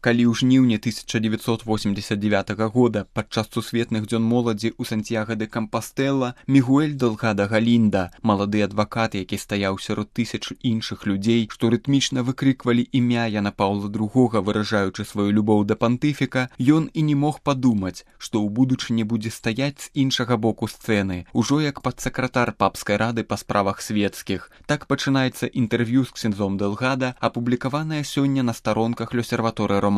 Калі ў жніўні 1989 года падчас сусветных дзён моладзі ў Сантьяго де Кампастэла Мігуэль Делгадо Галінда, малады адвакат, які стаяў сярод тысяч іншых людзей, што рытмічна выкрыквалі імя Яна Паўла II, выражаючы сваю любоў да пантыфіка, ён і не мог падумаць, што ў будучыні будзе стаяць з іншага боку сцэны, ужо як падсакратар папскай рады па справах светскіх. Так пачынаецца інтэрв'ю з ксяндзом Делгадо, апублікаванае сёння на старонках L'Osservatore Romano.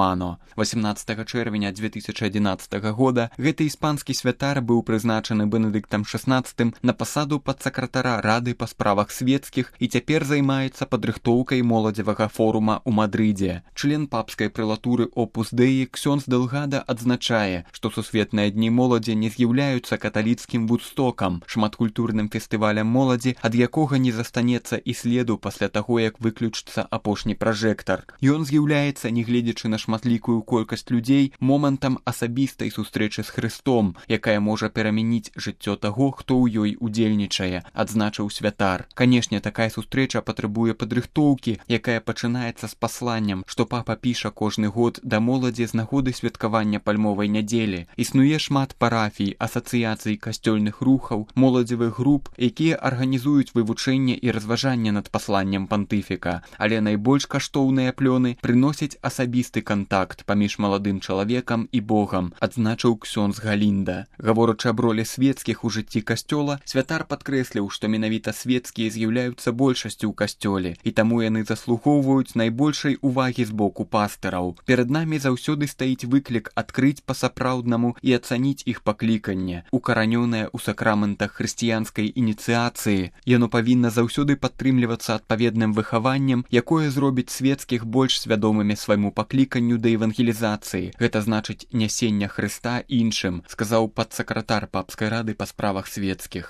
18 чэрвеня 2011 года гэты іспанскі святар быў прызначаны Бенедыктам XVI на пасаду падсакратара Рады па справах светскіх і цяпер займаецца падрыхтоўкай моладзевага форума ў Мадрыдзе. Член папскай прэлатуры Opus Dei ксёндз Делгадо адзначае, што сусветныя дні моладзі не з'яўляюцца каталіцкім Вудстокам, шматкультурным фестывалем моладзі, ад якога не застанецца і следу пасля таго, як выключыцца апошні пражэктар. Ён з'яўляецца, нягледзячы на шматлікую колькасць людзей, момантам асабістай сустрэчы з Хрыстом, якая можа перамяніць жыццё таго, хто ў ёй удзельнічае, адзначыў святар. Канешне, такая сустрэча патрабуе падрыхтоўкі, якая пачынаецца з пасланнем, што папа піша кожны год да моладзі з нагоды святкавання пальмовай нядзелі. Існуе шмат парафій, асацыяцый касцёльных рухаў, моладзевых груп, якія арганізуюць вывучэнне і разважанне над пасланнем пантыфіка, але найбольш каштоўныя плёны прыносяць асабісты кантакт паміж маладым чалавекам і Богам, адзначыў ксёндз Галінда. Гаворачы аб ролі свецкіх у жыцці касцёла, святар падкрэсліў, што менавіта свецкія з'яўляюцца большасцю ў касцёле, і таму яны заслугоўваюць найбольшай увагі з боку пастыраў. Перад намі заўсёды стаіць выклік адкрыць па-сапраўднаму і ацаніць іх пакліканне, укаранёнае ў сакраментах хрысціянскай ініцыяцыі. Яно павінна заўсёды падтрымлівацца адпаведным выхаваннем, якое зробіць свецкіх больш свядомымі свайму пакліканню да евангелізацыі. Гэта значыць нясення Хрыста іншым, сказаў падсакратар папскай рады па справах светскіх.